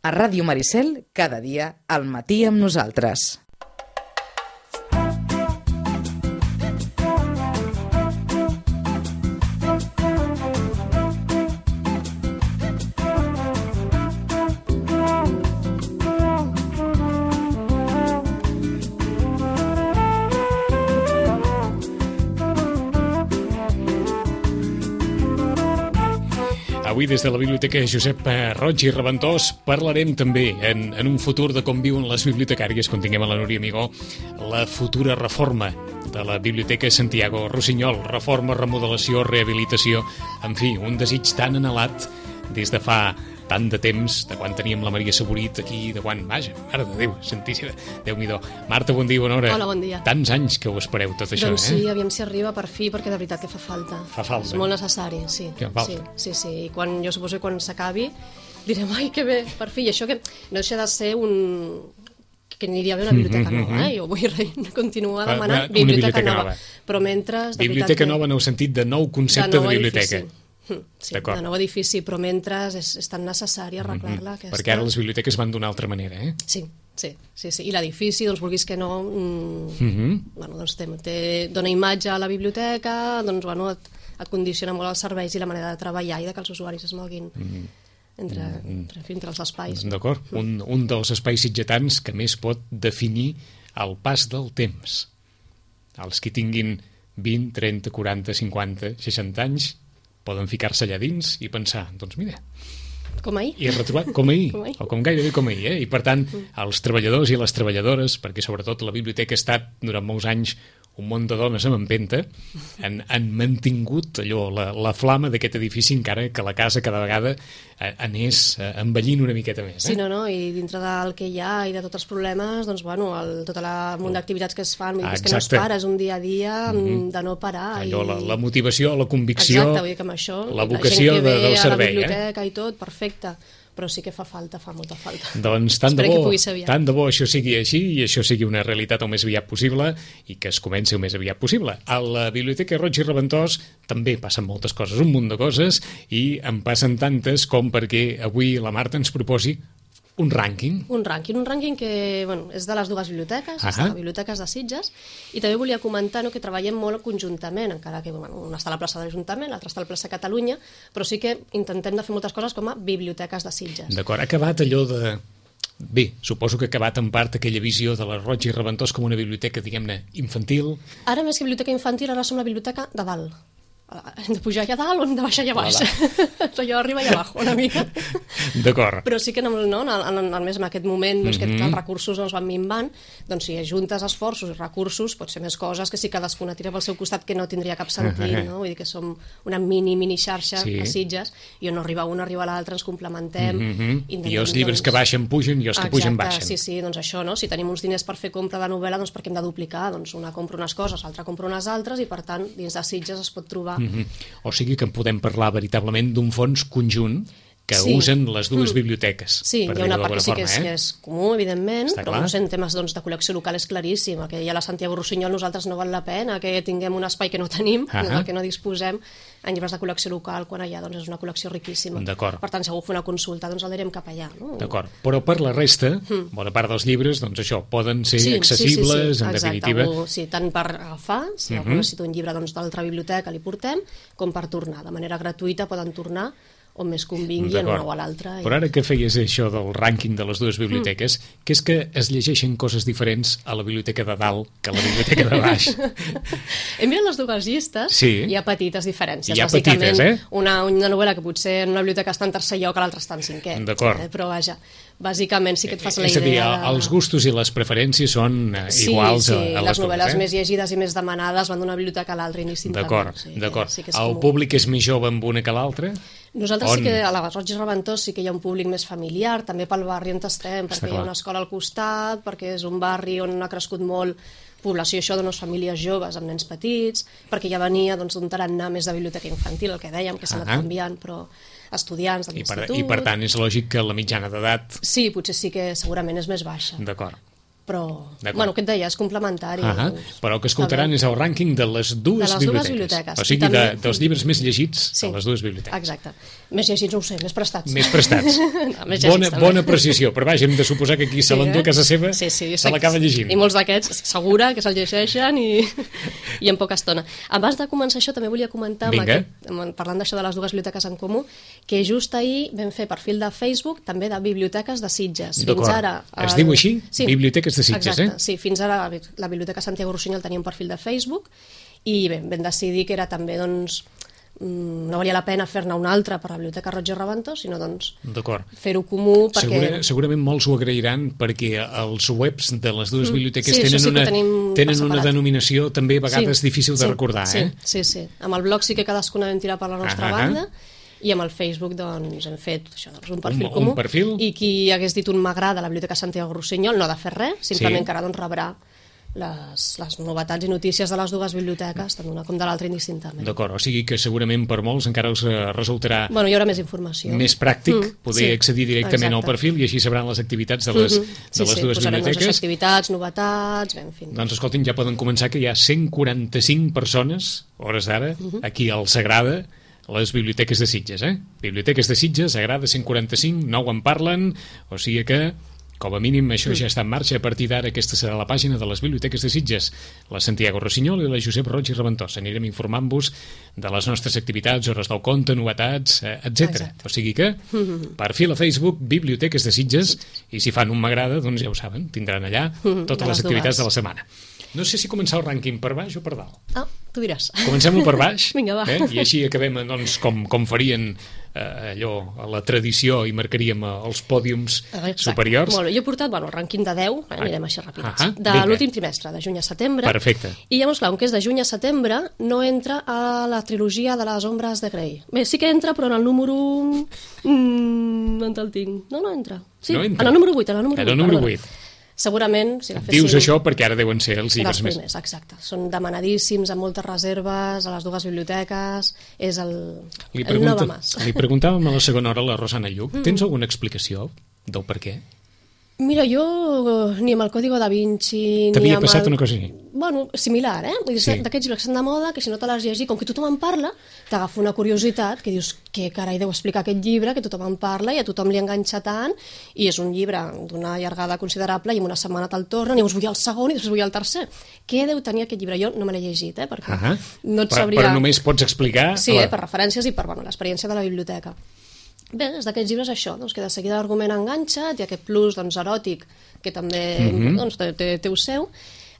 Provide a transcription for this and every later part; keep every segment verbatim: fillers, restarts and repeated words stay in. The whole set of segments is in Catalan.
A Ràdio Maricel, cada dia, al matí amb nosaltres. Avui, des de la Biblioteca Josep Roig i Reventós, parlarem també en, en un futur de com viuen les bibliotecàries, quan tinguem a la Núria Amigó, la futura reforma de la Biblioteca Santiago Rossinyol. Reforma, remodelació, rehabilitació, en fi, un desig tan anhelat des de fa tant de temps, de quan teníem la Maria Saborit aquí, de quan, vaja, mare de Déu, santíssima, Déu-n'hi-do. Marta, bon dia, bona hora. Hola, bon dia. Tants anys que ho espereu, tot això, doncs eh? Doncs sí, aviam si arriba per fi, perquè de veritat que fa falta. Fa falta. És molt necessari, sí. Que falta. Sí, sí, sí. I quan, jo suposo que quan s'acabi direm, ai, que bé, per fi. I això que no deixa de ser un... que aniria bé una biblioteca nova, eh? Jo vull continuar demanant una biblioteca nova. Però mentre... Biblioteca nova en el sentit de nou concepte de biblioteca. Sí, de nou edifici, però mentre és, és tan necessari arreglar-la. Mm-hmm. Perquè ara les biblioteques van d'una altra manera, eh? Sí, sí, sí, sí. I l'edifici, doncs vulguis que no, mm, mm-hmm. bueno, doncs té, té, dona imatge a la biblioteca, doncs bueno, et, et condiciona molt els serveis i la manera de treballar i de que els usuaris es moguin mm-hmm. entre, mm-hmm. entre, entre els espais. D'acord, mm. un, un dels espais sitgetans que més pot definir el pas del temps. Els que tinguin vint, trenta, quaranta, cinquanta, seixanta anys poden ficar-se allà dins i pensar, doncs mira... Com ahir. I retrobar, com ahir, com ahir. o com gairebé com ahir, eh? I per tant, els treballadors i les treballadores, perquè sobretot la biblioteca ha estat durant molts anys un munt de dones amb empenta, han, han mantingut allò, la, la flama d'aquest edifici, encara que la casa cada vegada anés envellint una miqueta més. Eh? Sí, no, no, i dintre del que hi ha i de tots els problemes, doncs, bueno, el, tot el munt d'activitats que es fan, ah, és que no es para, és un dia a dia mm-hmm. de no parar. Allò, i... la, la motivació, la convicció, exacte, vull dir que amb això, la vocació la gent que ve de, del servei. A la biblioteca eh? I tot, perfecte. Però sí que fa falta, fa molta falta. Doncs tant de, bo, tant de bo això sigui així i això sigui una realitat el més aviat possible i que es comenci el més aviat possible. A la Biblioteca Roig i Reventós també passen moltes coses, un munt de coses, i en passen tantes com perquè avui la Marta ens proposi un rànquing. Un rànquing, un rànquing que bueno, és de les dues biblioteques, és de les biblioteques de Sitges, i també volia comentar no, que treballem molt conjuntament, encara que bueno, una està a la plaça de l'Ajuntament, l'altra està a la plaça Catalunya, però sí que intentem de fer moltes coses com a biblioteques de Sitges. D'acord, ha acabat allò de... Bé, suposo que ha acabat en part aquella visió de la Roig i Reventós com una biblioteca, diguem-ne, infantil. Ara més que biblioteca infantil, ara som la biblioteca de dalt. Hem de pujar allà dalt o hem de baixar allà baix? Allò arriba allà baix, una mica. D'acord. Però sí que no, no, en, en, en, més en aquest moment doncs, mm-hmm. que els recursos doncs, van minvant, doncs si ajuntes esforços i recursos pot ser més coses que si cadascuna tira pel seu costat que no tindria cap sentit, no? Vull dir que som una mini, mini xarxa sí. a Sitges i on no arriba un, arriba l'altre, ens complementem. Mm-hmm. I els llibres doncs... que baixen pugen i els que exacte, pugen baixen. Sí, sí, doncs això, no? Si tenim uns diners per fer compra de novel·la, doncs perquè hem de duplicar, doncs una compra unes coses, l'altra compra unes altres i per tant dins de Sitges es pot trobar. Mm-hmm. O sigui que en podem parlar veritablement d'un fons conjunt que sí. usen les dues biblioteques. Sí, hi ha una part que sí que és, forma, eh? que és comú, evidentment, està però clar. no sé, en temes doncs, de col·lecció local és claríssim. Que hi ha la Santiago Rossinyol, nosaltres no val la pena que tinguem un espai que no tenim, uh -huh. que no disposem en llibres de col·lecció local, quan allà doncs, és una col·lecció riquíssima. Per tant, si algú fa una consulta, doncs el direm cap allà. No? D'acord, però per la resta, mm. bona part dels llibres, doncs això, poden ser sí, accessibles, sí, sí, sí. en exacte, definitiva. Algú, sí, tant per agafar, si algú uh -huh. necessita un llibre doncs, d'altra biblioteca li portem, com per tornar. De manera gratuïta poden tornar on més convingui en una o a l'altra. I... Però ara que feies això del rànquing de les dues biblioteques, mm. que és que es llegeixen coses diferents a la biblioteca de dalt que a la biblioteca de baix. Hem mirat les dues llistes sí. i hi ha petites diferències. Hi ha petites, eh? Una, una novel·la que potser en una biblioteca està en tercer lloc, a l'altra està en cinquè. D'acord. Eh? Però vaja, bàsicament sí que et fas la idea... És a dir, de... els gustos i les preferències són eh, sí, iguals sí, a, a les, les novel·les dues, eh? més llegides i més demanades van d'una biblioteca a l'altra indistintament. D'acord, sí, d'acord. Sí el comú. Públic és més jove amb una que l'altra? Nosaltres On? sí que a la Roig i Reventós sí que hi ha un públic més familiar, també pel barri on estem, perquè hi ha una escola al costat, perquè és un barri on ha crescut molt població això d'unes famílies joves amb nens petits, perquè ja venia doncs, d'un tarannà més de biblioteca infantil, el que dèiem, que s'ha anat canviant, però estudiants de l'institut... I per tant és lògic que la mitjana d'edat... Sí, potser sí que segurament és més baixa. D'acord. però, bueno, què et deia, és complementari. Uh -huh. Però el que escoltaran és el rànquing de les dues, de les biblioteques. dues biblioteques. O sigui, també... de, dels llibres més llegits sí, de les dues biblioteques. Exacte. Més llegits, no ho sé, més prestats. Més prestats. no, més bona, llegits, bona precisió, però vaja, hem de suposar que aquí se sí, l'endú a casa seva, sí, sí, se l'acaba llegint. I molts d'aquests, segura, que se'l llegeixen i, i en poca estona. Abans de començar això, també volia comentar, amb aquest, parlant d'això de les dues biblioteques en comú, que just ahir vam fer perfil de Facebook, també de biblioteques de Sitges. Fins ara... El... Es diu així? Sí. Biblioteques de Sitges, exacte, eh? Sí, fins ara la Biblioteca Santiago Rossinyol tenia un perfil de Facebook i bé, vam decidir que era també, doncs, no valia la pena fer-ne un altre per la Biblioteca Roig i Reventós, sinó doncs fer-ho comú perquè... Segura, segurament molts ho agrairan perquè els webs de les dues biblioteques sí, tenen, sí una, tenen una denominació també a vegades sí, difícil de sí, recordar, sí, eh? Sí, sí. Amb el blog sí que cadascuna vam tirar per la nostra ah, banda i amb el Facebook doncs, hem fet això, doncs, un perfil un, comú un perfil? I qui hagués dit un m'agrada a la Biblioteca Santiago Rossinyol no ha de fer res, simplement sí. que ara doncs, rebrà les, les novetats i notícies de les dues biblioteques, tant una com de l'altra indistintament. D'acord, o sigui que segurament per molts encara els resultarà bueno, hi haurà més informació. Més pràctic mm, poder sí, accedir directament exacte. al perfil i així sabran les activitats de les, mm -hmm. sí, de les sí, dues biblioteques. Les activitats, novetats, bé, en fi. Doncs escoltin, ja poden començar que hi ha cent quaranta-cinc persones, hores d'ara, mm -hmm. aquí al Sagrada, les biblioteques de Sitges, eh? Biblioteques de Sitges, Sagrada, cent quaranta-cinc, nou en parlen, o sigui que com a mínim això ja està en marxa. A partir d'ara aquesta serà la pàgina de les biblioteques de Sitges, la Santiago Rossinyol i la Josep Roig i Reventós. Anirem informant-vos de les nostres activitats, hores del conte, novetats, etcètera. O sigui que, perfil a Facebook, Biblioteques de Sitges, i si fan un m'agrada, doncs ja ho saben, tindran allà totes les activitats de la setmana. No sé si començar el rànquing per baix o per dalt. Ah, tu diràs. Comencem-ho per baix. Vinga, va. Eh? I així acabem, doncs, com, com farien eh, allò, a la tradició, i marcaríem els pòdiums Exacte. superiors. Molt bé, jo he portat bueno, el rànquing de deu, eh, anirem així ràpids, ah de l'últim trimestre, de juny a setembre. Perfecte. I llavors, clar, com que és de juny a setembre, no entra a la trilogia de les ombres de Grey. Bé, sí que entra, però en el número... Mm, on el tinc? No, no entra. Sí, no entra. En el número vuit. En el número, en el número vuit. Segurament, si la fessin... Dius això perquè ara deuen ser els llibres primers, més... Exacte. Són demanadíssims, amb moltes reserves, a les dues biblioteques, és el, li el no va más. Li preguntàvem a la segona hora a la Rosana Lluc, mm. tens alguna explicació del per què? Mira, jo ni amb el Código da Vinci... T'havia ni passat el... una cosa així? Bueno, similar, eh? Vull dir, sí. D'aquests llibres que estan de moda, que si no te l'has llegit, com que tothom en parla, t'agafa una curiositat, que dius, què carai deu explicar aquest llibre, que tothom en parla i a tothom li enganxa tant, i és un llibre d'una llargada considerable, i en una setmana te'l tornen, i llavors vull el segon i després vull el tercer. Què deu tenir aquest llibre? Jo no me l'he llegit, eh? Perquè uh -huh. no et sabria... Però només pots explicar... Sí, eh? Per referències i per bueno, l'experiència de la biblioteca. Bé, és d'aquests llibres això, doncs, que de seguida l'argument enganxa, i aquest plus doncs, eròtic, que també mm-hmm. doncs, té, té, té el seu,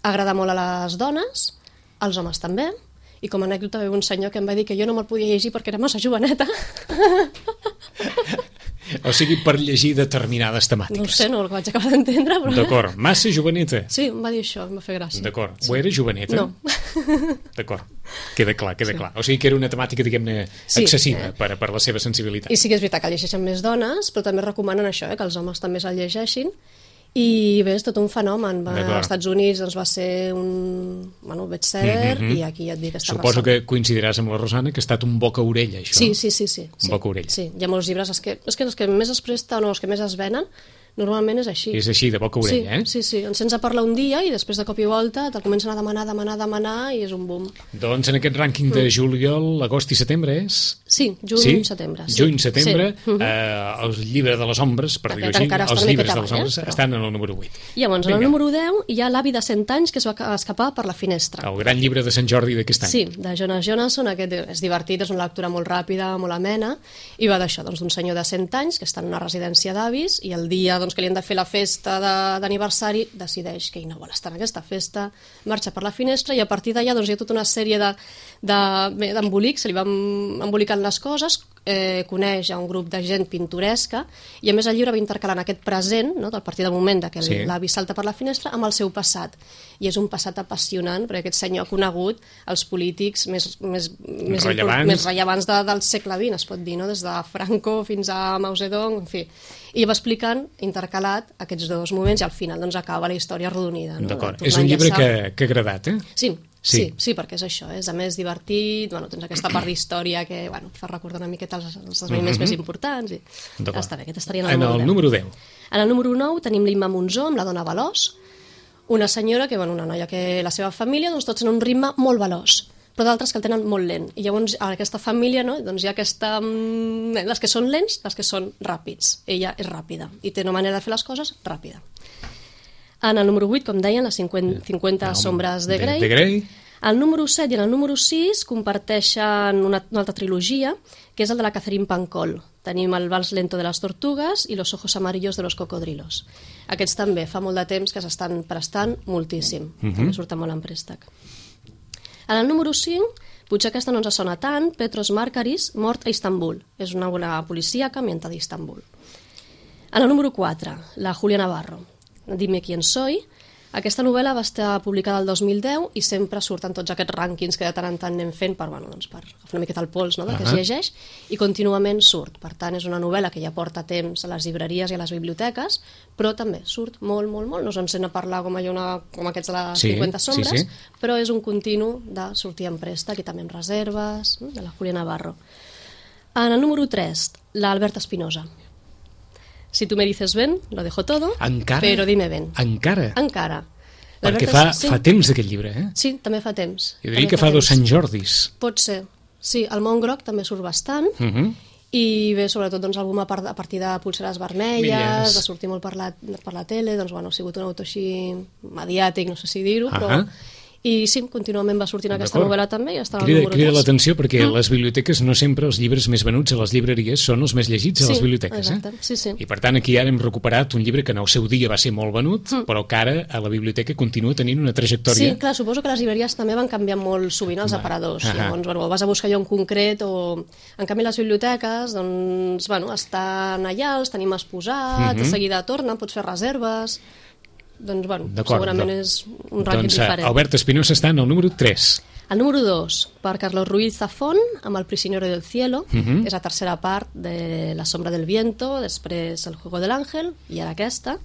agrada molt a les dones, als homes també, i com a anècdota ve un senyor que em va dir que jo no me'l podia llegir perquè era massa joveneta. O sigui, per llegir determinades temàtiques. No ho sé, no ho vaig acabar d'entendre, però... D'acord, massa joveneta. Sí, em va dir això, em va fer gràcia. D'acord, sí. Ho era joveneta? No. D'acord, queda clar, queda sí. clar. O sigui que era una temàtica, diguem-ne, sí, excessiva eh? per, per la seva sensibilitat. I sí que és veritat que llegeixen més dones, però també recomanen això, eh? Que els homes també se'l llegeixin. I bé, és tot un fenomen. Va, als Estats Units doncs, va ser un bueno, bestseller mm -hmm. i aquí ja et dic que està Suposo arrasant. que coincidiràs amb la Rosana que ha estat un boca-orella, això. Sí, sí, sí. sí, un sí. boca-orella. Sí, hi ha molts llibres, és que, és que els que més es presten o els que més es venen normalment és així. És així, de boca-orella, sí, eh? Sí, sí, ens sents a parlar un dia i després de cop i volta te'l comencen a demanar, demanar, demanar i és un boom. Doncs en aquest rànquing de juliol, agost i setembre és... Sí, juny, sí? setembre. Sí. Juny, setembre, sí. eh, el llibre de les ombres, per dir-ho així, els llibres de les ombres eh? Però... estan en el número vuit. I llavors, en el número deu hi ha L'avi de cent anys que es va escapar per la finestra. El gran llibre de Sant Jordi d'aquest any. Sí, de Jonas Jonasson, aquest és divertit, és una lectura molt ràpida, molt amena, i va d'això, doncs, d'un senyor de cent anys que està en una residència d'avis i el dia doncs, que li han de fer la festa d'aniversari decideix que ell no vol estar en aquesta festa, marxa per la finestra i a partir d'allà doncs, hi ha tota una sèrie d'embolics, se li van embolicant les coses, eh, coneix a un grup de gent pintoresca i a més el llibre va intercalant aquest present, no, del partir del moment que sí. l'avi salta per la finestra, amb el seu passat. I és un passat apassionant, perquè aquest senyor ha conegut els polítics més, més, més rellevants, més rellevants de, del segle vint, es pot dir, no? Des de Franco fins a Mao Zedong, en fi. I va explicant, intercalat, aquests dos moments i al final doncs, acaba la història arrodonida. No? D'acord. És un llibre que, que ha agradat, eh? Sí. Sí. Sí, sí, perquè és això, és a més divertit, bueno, tens aquesta part d'història que bueno, et fa recordar una miqueta els, els esdeveniments mm -hmm. més importants i està bé, aquest estaria en el, en número, el número deu. En el número nou tenim l'Imma Monzó amb La dona veloç, una senyora, que, bueno, una noia que la seva família, doncs tots en un ritme molt veloç, però d'altres que el tenen molt lent. I llavors a aquesta família, no, doncs hi ha aquesta... les que són lents, les que són ràpids. Ella és ràpida i té una manera de fer les coses ràpida. En el número vuit, com deien, les cinquanta, cinquanta no, sombres de Grey. De, de Grey. El número set i el número sis comparteixen una, una altra trilogia, que és el de la Catherine Pancol. Tenim el Vals lento de les tortugues i Los ojos amarillos de los cocodrilos. Aquests també fa molt de temps que s'estan prestant moltíssim. Uh-huh. També surten molt en préstec. En el número cinc, potser aquesta no ens sona tant, Petros Markaris, mort a Istanbul. És una bona policíaca ambientada a Istanbul. En el número quatre, la Julia Navarro, Dime quién soy. Aquesta novel·la va estar publicada el dos mil deu i sempre surten tots aquests rànquings que de tant en tant anem fent per, bueno, doncs per agafar una miqueta el pols, no, del uh-huh. que es llegeix, i contínuament surt. Per tant, és una novel·la que ja porta temps a les llibreries i a les biblioteques, però també surt molt, molt, molt. No se'n sent a parlar com, una, com aquests de les sí, cinquanta sombres, sí, sí. però és un continu de sortir en préstec i també en reserves, de la Julia Navarro. En el número tres, l'Alberta Espinosa. Si tu me dices ven, lo dejo todo, encara? Però dime ven. Encara? Encara. Perquè fa, sí. fa temps d'aquest llibre, eh? Sí, també fa temps. Jo diria que fa, fa dos Sant Jordis. Pot ser. Sí, el Mont Groc també surt bastant, uh-huh. i bé, sobretot, doncs, algú a partir de Polseres vermelles, Milles. De sortir molt per la, per la tele, doncs, bueno, ha sigut un autor així mediàtic, no sé si dir-ho, uh-huh. però... I sí, contínuament va sortint aquesta novel·la també i està al número tres. Crida l'atenció perquè mm. les biblioteques no sempre els llibres més venuts a les llibreries són els més llegits a sí, les biblioteques. Exacte. Eh? Sí, sí. I per tant aquí ara hem recuperat un llibre que en el seu dia va ser molt venut, mm. però que ara a la biblioteca continua tenint una trajectòria. Sí, clar, suposo que les llibreries també van canviar molt sovint els aparadors. Ah, llavors, bueno, vas a buscar allò en concret o... En canvi, les biblioteques, doncs, bueno, estan allà, els tenim exposats, mm-hmm. de seguida tornen, pots fer reserves... Doncs, bueno, segurament és un rànquing doncs, diferent. Albert Espinosa està en el número tres. El número dos, per Carlos Ruiz Zafón, amb El prisionero del cielo. Uh-huh. És la tercera part de La sombra del viento, després El juego del ángel, i ara aquesta.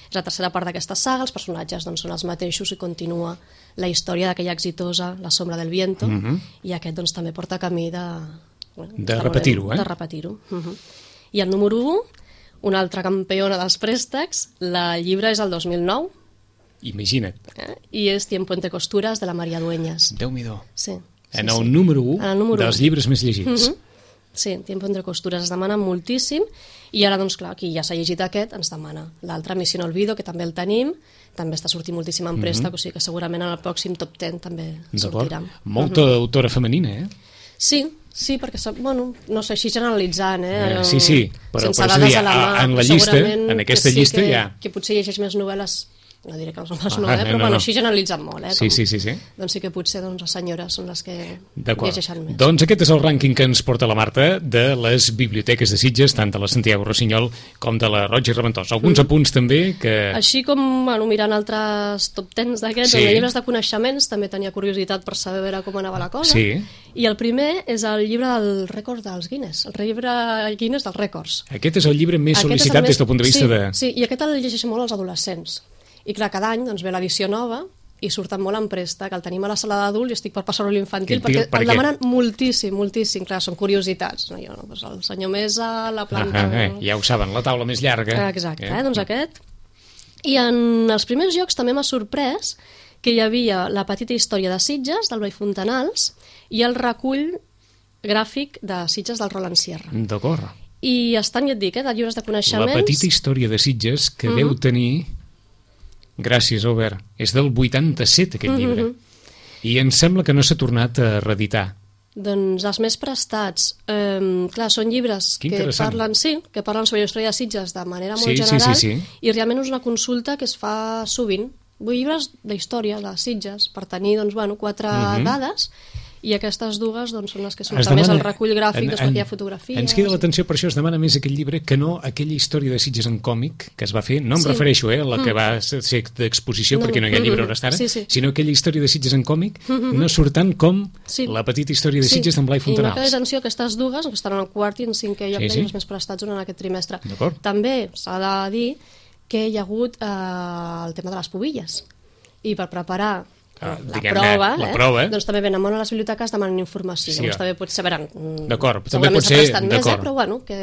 És la tercera part d'aquesta saga, els personatges doncs, són els mateixos i continua la història d'aquella exitosa La sombra del viento, uh-huh. i aquest doncs, també porta camí de... Bueno, de repetir-ho, eh? De repetir-ho. Uh-huh. I el número u, una altra campiona dels préstecs, la llibre és el dos mil nou. Imagina't. Eh? I és Tiempo entre costuras, de la Maria Dueñas. Déu-m'hi-do. Sí, sí, en el sí. número u dels llibres més llegits. Uh-huh. Sí, Tiempo entre costuras es demana moltíssim, i ara, doncs clar, qui ja s'ha llegit aquest ens demana l'altre, Misión Olvido, que també el tenim, també està sortint moltíssim en préstec, uh-huh. o sigui que segurament en el pròxim top deu també sortirà. Molta uh-huh. autora femenina, eh? Sí, sí, perquè, bueno, no sé, així generalitzant, eh? eh sí, sí, però per dir, a la mà, en la llista, en aquesta sí llista que, ja... Que potser llegeix més novel·les, no diré que els homes ah, no, eh? però no, bueno, no. així generalitzant molt, eh? Sí, Com, sí, sí, sí. Doncs sí que potser doncs, les senyores són les que llegeixen més. Doncs aquest és el rànquing que ens porta la Marta de les biblioteques de Sitges, tant de la Santiago Rossinyol com de la Roig i Reventós. Alguns mm. apunts també que... Així com, bueno, mirant altres top tens d'aquests, sí. en llibres de coneixements també tenia curiositat per saber veure com anava la cosa. Sí. I el primer és el llibre del rècord dels Guinness, el llibre Guinness dels rècords. Aquest és el llibre més aquest sol·licitat més... des del punt de vista sí, de... Sí, i aquest el llegeixen molt els adolescents. I clar, cada any doncs, ve l'edició nova i surten molt en préstec, el tenim a la sala d'adults i estic per passar-ho a l'infantil perquè per el demanen moltíssim, moltíssim. Clar, són curiositats. No? Jo, no, doncs el senyor Mesa, la planta... Ah, eh, ja ho saben, la taula més llarga. Exacte, eh? Eh? doncs aquest. I en els primers jocs també m'ha sorprès que hi havia la petita història de Sitges, del Blai Fontanals, i el recull gràfic de Sitges del Roland Sierra. D'acord. I estan, ja et dic, eh, de llibres de coneixements... La petita història de Sitges que uh-huh. deu tenir... Gràcies, Albert. És del vuitanta-set, aquest llibre. Uh-huh. I em sembla que no s'ha tornat a reeditar. Doncs els més prestats. Um, clar, són llibres que parlen, sí, que parlen sobre la història de Sitges de manera molt sí, general, sí, sí, sí. i realment és una consulta que es fa sovint. Vull llibres d'història de Sitges, per tenir doncs, bueno, quatre uh-huh. dades, i aquestes dues doncs, són les que surten demana, més el recull gràfic, després hi ha fotografies... Ens queda l'atenció, per això es demana més aquest llibre que no aquella història de Sitges en còmic que es va fer, no em sí. refereixo eh, a la que mm. va ser d'exposició, no, perquè no hi ha llibre hores d'ara, sí, sí. sinó aquella història de Sitges en còmic, mm-hmm. no surtant com sí. la petita història de Sitges sí. d'en Blai Fontanals. I m'ha quedat atenció aquestes dues, que estan en el quart i en cinquè lloc, sí, sí. els més prestats durant aquest trimestre. També s'ha de dir que hi ha hagut eh, el tema de les pubilles, i per preparar Ah, la, prova, la eh? prova, doncs també venen molt a les biblioteques demanen informació, sí, llavors també pot ser, veran, d'acord, també pot ser, més, eh? però bueno, que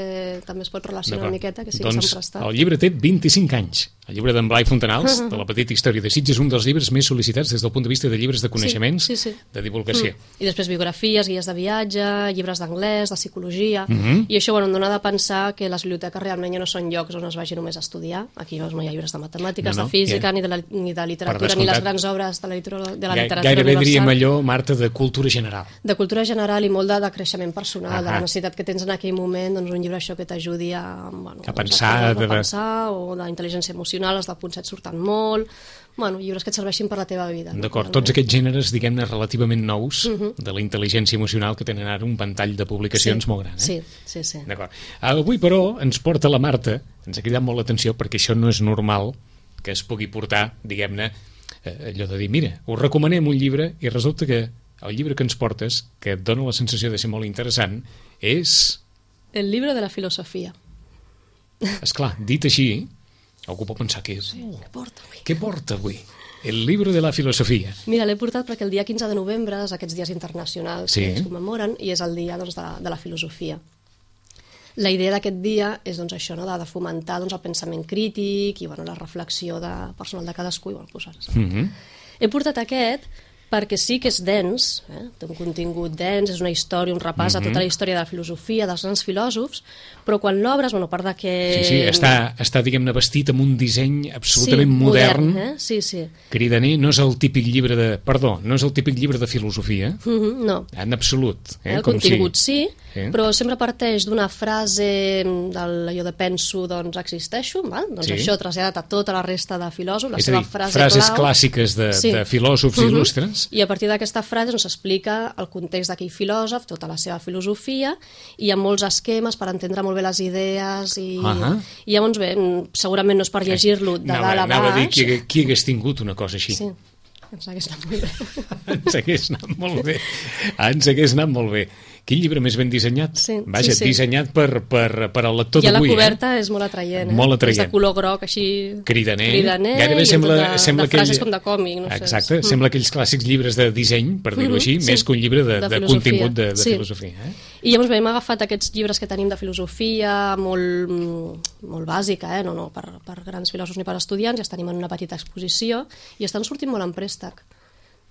també es pot relacionar una miqueta, que sí doncs que s'han prestat. El llibre té vint-i-cinc anys. El llibre d'en Blai Fontanals, de la petita història de Sitges, un dels llibres més sol·licitats des del punt de vista de llibres de coneixements, sí, sí, sí. de divulgació. Mm. I després biografies, guies de viatge, llibres d'anglès, de psicologia, Mm -hmm. i això bueno, em dona de pensar que les biblioteques realment ja no són llocs on es vagi només a estudiar. Aquí no hi ha llibres de matemàtiques, no, no, de física, yeah. ni, de la, ni de literatura, ni les grans obres de la, literatura, de la literatura Gairebé universal. diríem allò, Marta, de cultura general. De cultura general i molt de, de creixement personal, Ah, de la necessitat que tens en aquell moment, doncs un llibre això que t'ajudi a, bueno, a pensar, a, de... a pensar, o d'intel·ligència emocional, els del punt set surten molt, bueno, llibres que et serveixin per la teva vida. D'acord, no? tots aquests gèneres, diguem-ne, relativament nous, uh -huh. de la intel·ligència emocional, que tenen ara un ventall de publicacions sí, molt gran. Eh? Sí, sí, sí. D'acord. Avui, però, ens porta la Marta, ens ha cridat molt l'atenció, perquè això no és normal que es pugui portar, diguem-ne, eh, allò de dir, mira, us recomanem un llibre, i resulta que el llibre que ens portes, que et dona la sensació de ser molt interessant, és... El llibre de la filosofia. Esclar, dit així, algú pot pensar que... Sí, què porta avui? Què porta avui? El llibre de la filosofia. Mira, l'he portat perquè el dia quinze de novembre és aquests dies internacionals sí. que es commemoren i és el dia doncs, de, de la filosofia. La idea d'aquest dia és doncs, això, no? de, de fomentar doncs, el pensament crític i bueno, la reflexió de, personal de cadascú. I, bueno, posar mm -hmm. He portat aquest perquè sí que és dens, eh? té un contingut dens, és una història, un repàs mm -hmm. a tota la història de la filosofia, dels grans filòsofs, però quan l'obres, bueno, a part de que... Sí, sí, està, està diguem-ne, vestit amb un disseny absolutament sí, modern. modern eh? Sí, sí. Cridaner, no és el típic llibre de... Perdó, no és el típic llibre de filosofia. Mm -hmm, no. En absolut. Eh? El Com contingut si... sí, eh? però sempre parteix d'una frase d'allò de penso, doncs existeixo, val? Doncs sí. això traslladat a tota la resta de filòsofs, la és seva a dir, frase frases clau. clàssiques de, sí. de filòsofs mm -hmm. il·lustres. I a partir d'aquesta frase doncs, s'explica el context d'aquell filòsof, tota la seva filosofia, i hi ha molts esquemes per entendre molt bé les idees, i, uh -huh. i llavors bé, segurament no és per llegir-lo de anava, dalt a baix. Anava a dir qui, qui hagués tingut una cosa així. Sí, ens hagués anat molt bé. Ens hagués anat molt bé. Ens hagués anat molt bé. Quin llibre més ben dissenyat. Sí, Vaja, sí, sí. dissenyat per, per, per al lector d'avui. I a la eh? coberta és molt atraient. Eh? Molt atraient. És de color groc, així... Cridaner. Cridaner Gairebé i sembla, de, sembla de frases aquell... com de còmic. No Exacte, sé. sembla aquells clàssics llibres de disseny, per dir-ho Mm-hmm, així, sí. més que un llibre de, De de filosofia. contingut de, de Sí. filosofia. Eh? I llavors bé, hem agafat aquests llibres que tenim de filosofia molt, molt bàsica, eh? no, no per, per grans filòsofs ni per estudiants, i els tenim en una petita exposició i estan sortint molt en préstec.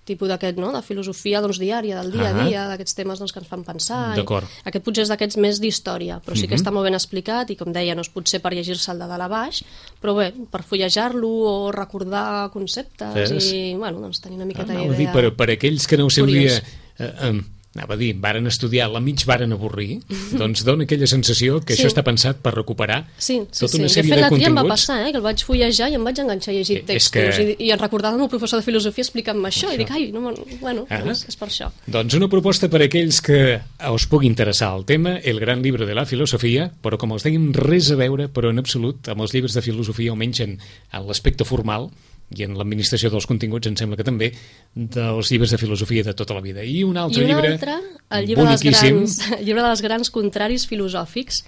Tipus d'aquest, no?, de filosofia doncs, diària, del dia a dia, d'aquests temes doncs, que ens fan pensar. D'acord. Aquest potser és d'aquests més d'història, però sí que uh-huh. està molt ben explicat i, com deia, no és potser per llegir-se'l de dalt a baix, però bé, per fullejar-lo o recordar conceptes és... i, bueno, doncs tenir una miqueta ah, d'idea. Dir, per, per aquells que no ho seu Curiós. dia... Eh, eh, anava a dir, varen estudiar, la mig varen avorrir, doncs dona aquella sensació que Sí. això està pensat per recuperar Sí, sí, tota sí. una sèrie de fet, de l'altre dia em va continguts. passar, eh, que el vaig fullejar i em vaig enganxar a llegir Eh, és textos que- i, i em recordava el meu professor de filosofia explicant-me això, Això. i dic, ai, no, me'n- bueno, Ah. doncs és per això. Doncs una proposta per a aquells que us pugui interessar el tema, el gran llibre de la filosofia, però com els dèiem, res a veure, però en absolut, amb els llibres de filosofia, almenys en, en l'aspecte formal, i en l'administració dels continguts, em sembla que també, dels llibres de filosofia de tota la vida. I un altre I un llibre, altre, el llibre dels, boniquíssim, grans, el llibre dels grans contraris filosòfics.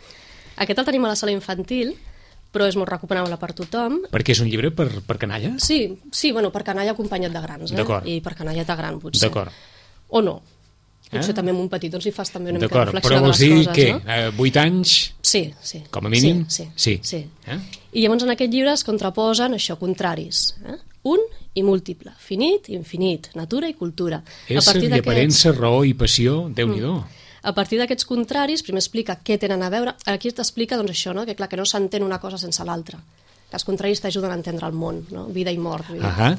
Aquest el tenim a la sala infantil, però és molt recomanable per tothom. perquè és un llibre per, per canalla? Sí, sí, bueno, per canalla acompanyat de grans, eh? D'acord. I per canalleta gran, potser. D'acord. O no. Potser Ah. també amb un petit, doncs hi fas també una mica de D'acord, reflexió però de vols les dir coses, que no? eh, vuit anys, Sí, sí. com a mínim? Sí, Sí. sí. sí. Eh? I llavors en aquest llibre es contraposen això, contraris. Eh? Un i múltiple, finit, infinit, natura i cultura. Ésser i d'aquests- aparença, raó i passió, Déu-n'hi-do. Mm. A partir d'aquests contraris, primer explica què tenen a veure. Aquí t'explica doncs, això, no? que clar que no s'entén una cosa sense l'altra. Que els contraris t'ajuden a entendre el món, no? Vida i mort. Vull dir. Ahà.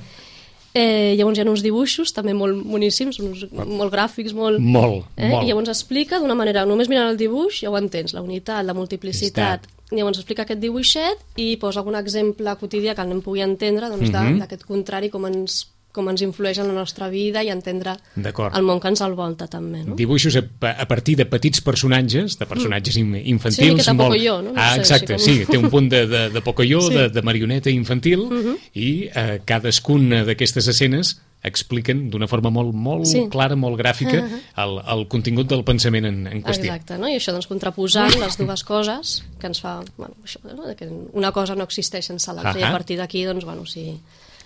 Eh, llavors hi ha uns dibuixos també molt boníssims, uns, molt gràfics, molt... Molt, eh? molt. I llavors explica d'una manera, només mirant el dibuix ja ho entens, la unitat, la multiplicitat. Llavors explica aquest dibuixet i posa algun exemple quotidià que el nen pugui entendre doncs, Mhm. d'aquest contrari, com ens, com ens influeix en la nostra vida i entendre D'acord. el món que ens envolta també. No? Dibuixos a, a partir de petits personatges, de personatges in, infantils. Sí, una miqueta molt... Pocoyo, no? No Ah, sé, exacte, així com- sí, té un punt de, de, de Pocoyo, Sí. de, de marioneta infantil, Mhm. i eh, cadascuna d'aquestes escenes expliquen d'una forma molt, molt Sí. clara, molt gràfica, el, el contingut del pensament en, en qüestió. Exacte, no? I això doncs contraposant les dues coses que ens fa, bueno, això, no? que una cosa no existeix sense l'altra, i Ahà. a partir d'aquí doncs, bueno, si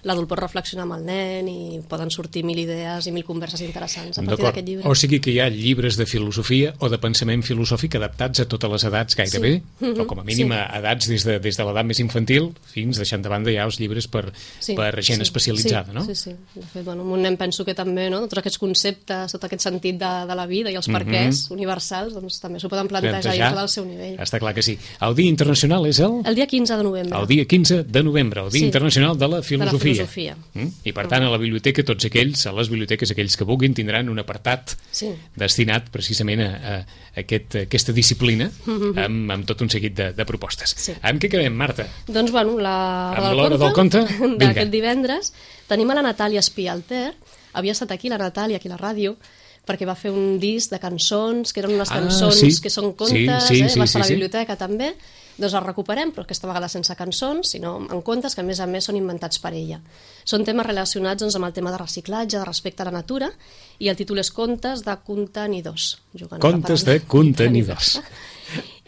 l'adult pot reflexionar amb el nen i poden sortir mil idees i mil converses interessants a partir d'aquest llibre. O sigui que hi ha llibres de filosofia o de pensament filosòfic adaptats a totes les edats gairebé, sí. o com a mínim sí. a edats des de, des de l'edat més infantil fins deixant de banda ja els llibres per, sí. per gent sí. especialitzada, sí. no? Sí, sí. De fet, bueno, un nen penso que també, no? Tots aquests conceptes, tot aquest sentit de, de la vida i els perquès mm-hmm. universals, doncs també s'ho poden plantejar, plantejar dintre del seu nivell. Està clar que sí. El Dia Internacional és el? El dia quinze de novembre. El dia quinze de novembre, el Dia sí. Internacional de la Filosofia. De la filosofia. Mm? I per tant, a la biblioteca, tots aquells, a les biblioteques, aquells que vulguin, tindran un apartat sí. destinat precisament a, a, a aquest, a aquesta disciplina mm-hmm. amb, amb tot un seguit de, de propostes. Sí. Amb què quedem, Marta? Doncs, bueno, la, amb l'hora del conte, d'aquest divendres, tenim a la Natàlia Espialter. Havia estat aquí la Natàlia, aquí a la ràdio, perquè va fer un disc de cançons, que eren unes ah, cançons sí. que són contes, sí, sí, eh? sí, va estar sí, a la sí. biblioteca també. Doncs els recuperem, però aquesta vegada sense cançons, sinó en contes que a més a més són inventats per ella. Són temes relacionats doncs, amb el tema de reciclatge, de respecte a la natura, i el títol és Contes de contenidors. Contes de contenidors.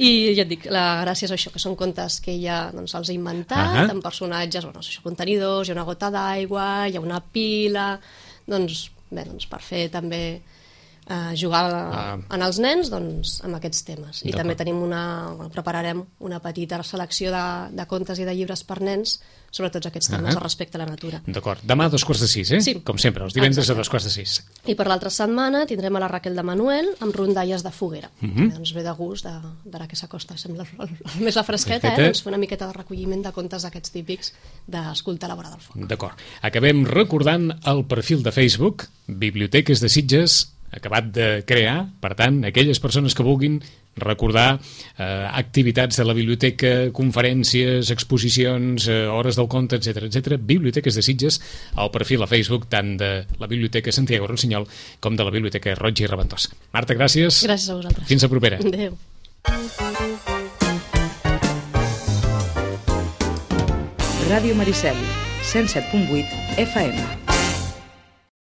I ja et dic, la gràcia és això, que són contes que ella doncs, els ha inventat, uh-huh. amb personatges, bueno, això, contenidors, hi ha una gota d'aigua, hi ha una pila, doncs, bé, doncs per fer també eh, jugar ah. en els nens doncs, amb aquests temes. I també tenim una, prepararem una petita selecció de, de contes i de llibres per nens sobre tots aquests temes, uh-huh. respecte a la natura. D'acord. Demà a dos quarts de sis, eh? Sí. Com sempre, els divendres Exacte. a dos quarts de sis. I per l'altra setmana tindrem a la Raquel de Manuel amb rondalles de foguera. Uh-huh. Doncs ve de gust, de, d'ara que s'acosta, sembla el, el, el, més la fresqueta, eh? Doncs fer una miqueta de recolliment de contes d'aquests típics d'escoltar a la vora del foc. D'acord. Acabem recordant el perfil de Facebook, Biblioteques de Sitges, acabat de crear, per tant, aquelles persones que vulguin recordar eh, activitats de la biblioteca, conferències, exposicions, eh, hores del conte, etcètera, etcètera, Biblioteques de Sitges, al perfil a Facebook tant de la Biblioteca Santiago Rossinyol com de la Biblioteca Roig i Reventós. Marta, gràcies. Gràcies a vosaltres. Fins la propera. Adéu. Ràdio Maricel, cent set punt vuit F M.